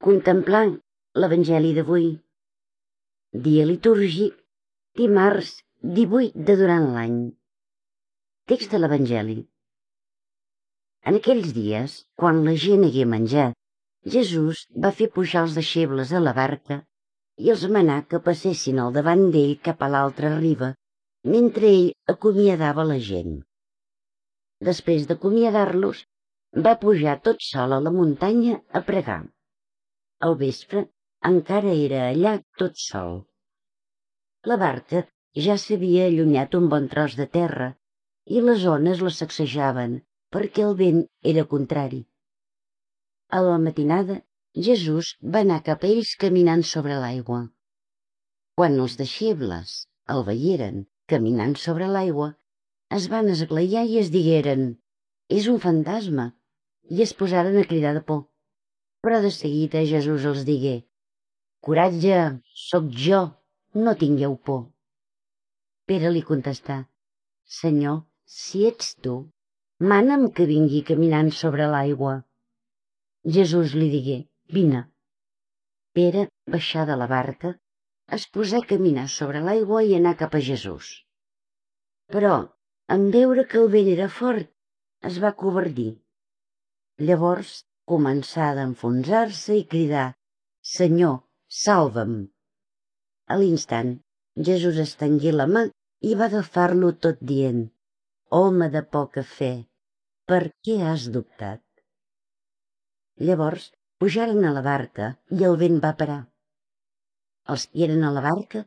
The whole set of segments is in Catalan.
Contemplant l'Evangeli d'avui, dia litúrgic, dimarts 18 de durant l'any. Text de l'Evangeli. En aquells dies, quan la gent hagué menjat, Jesús va fer pujar els deixebles a la barca i els manà que passessin al davant d'ell cap a l'altra riba, mentre ell acomiadava la gent. Després d'acomiadar-los, va pujar tot sol a la muntanya a pregar. Al vespre encara era allà tot sol. La barca ja s'havia allunyat un bon tros de terra i les ones la sacsejaven perquè el vent era contrari. A la matinada, Jesús va anar cap a ells caminant sobre l'aigua. Quan els deixebles el veieren caminant sobre l'aigua, es van esglaiar i es digueren: «És un fantasma», i es posaren a cridar de por. Però de seguida Jesús els digué: «Coratge, sóc jo, no tingueu por». Pere li contestà: «Senyor, si ets tu, mana'm que vingui caminant sobre l'aigua». Jesús li digué: «Vine». Pere baixà de la barca, es posà a caminar sobre l'aigua i anar cap a Jesús. Però, en veure que el vent era fort, es va acovardir. Llavors començà a enfonsar-se i cridar: «Senyor, salva'm». A l'instant, Jesús estengué la mà i va agafar-lo tot dient: «Home de poca fe, per què has dubtat?» Llavors pujaren a la barca i el vent va parar. Els que eren a la barca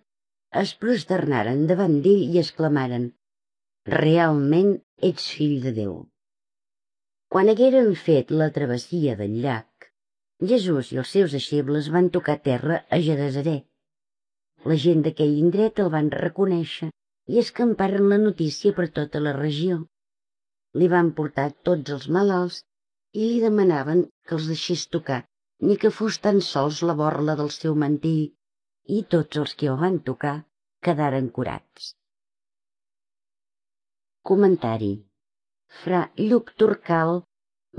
es prosternaren davant d'ell i exclamaren: «Realment ets fill de Déu». Quan hagueren fet la travessia del llac, Jesús i els seus deixebles van tocar terra a Genesaret. La gent d'aquell indret el van reconèixer i escamparen la notícia per tota la regió. Li van portar tots els malalts i li demanaven que els deixés tocar, ni que fos tan sols la borla del seu mantell, i tots els que el van tocar quedaren curats. Comentari. Fra Lluc Turcal,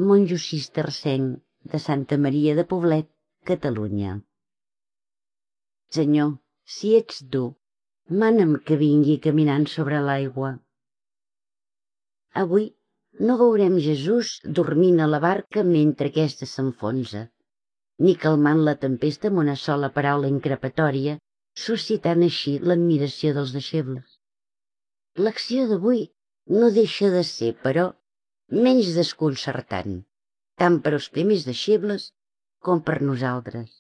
monjo cistercenc de Santa Maria de Poblet, Catalunya. Senyor, si ets tu, mana'm que vingui caminant sobre l'aigua. Avui no veurem Jesús dormint a la barca mentre aquesta s'enfonsa, ni calmant la tempesta amb una sola paraula increpatòria, suscitant així l'admiració dels deixebles. L'acció d'avui no deixa de ser, però, menys desconcertant, tant per als primers deixebles com per nosaltres.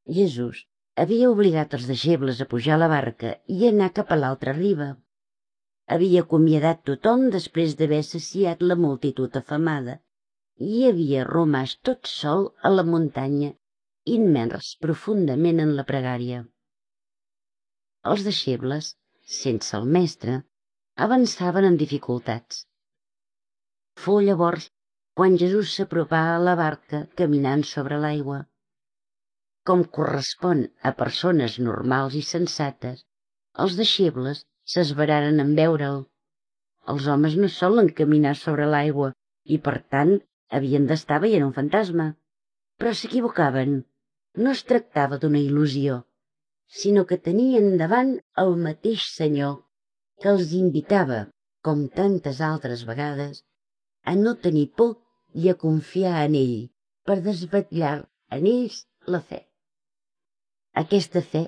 Jesús havia obligat els deixebles a pujar a la barca i anar cap a l'altra riba. Havia acomiadat tothom després d'haver saciat la multitud afamada i havia romàs tot sol a la muntanya, immers profundament en la pregària. Els deixebles, sense el mestre, avançaven amb dificultats. Fou llavors quan Jesús s'apropà a la barca caminant sobre l'aigua. Com correspon a persones normals i sensates, els deixebles s'esveraren en veure'l. Els homes no solen caminar sobre l'aigua i, per tant, havien d'estar veient un fantasma. Però s'equivocaven. No es tractava d'una il·lusió, sinó que tenien davant el mateix Senyor que els invitava, com tantes altres vegades, a no tenir por i a confiar en ell per desvetllar en ells la fe. Aquesta fe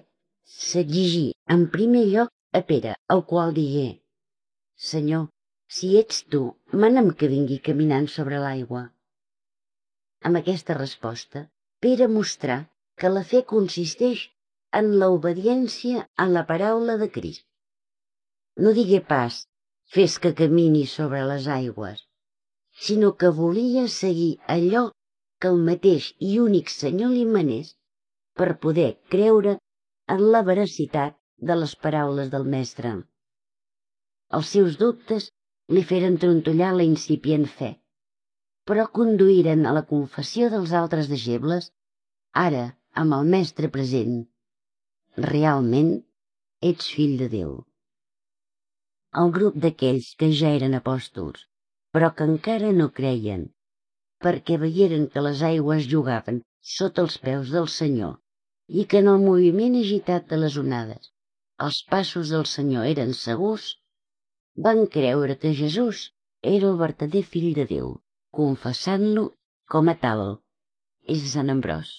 s'exigí en primer lloc a Pere, el qual digué: «Senyor, si ets tu, mana'm que vingui caminant sobre l'aigua». Amb aquesta resposta, Pere mostrà que la fe consisteix en l'obediència a la paraula de Crist. No digué pas: «Fes que camini sobre les aigües», sinó que volia seguir allò que el mateix i únic Senyor li manés per poder creure en la veracitat de les paraules del Mestre. Els seus dubtes li feren trontollar la incipient fe, però conduïren a la confessió dels altres deixebles, ara amb el Mestre present: «Realment ets fill de Déu». El grup d'aquells que ja eren apòstols, però que encara no creien, perquè veieren que les aigües jugaven sota els peus del Senyor i que en el moviment agitat de les onades els passos del Senyor eren segurs, van creure que Jesús era el vertader fill de Déu, confessant-lo com a tal. És Sant Ambròs.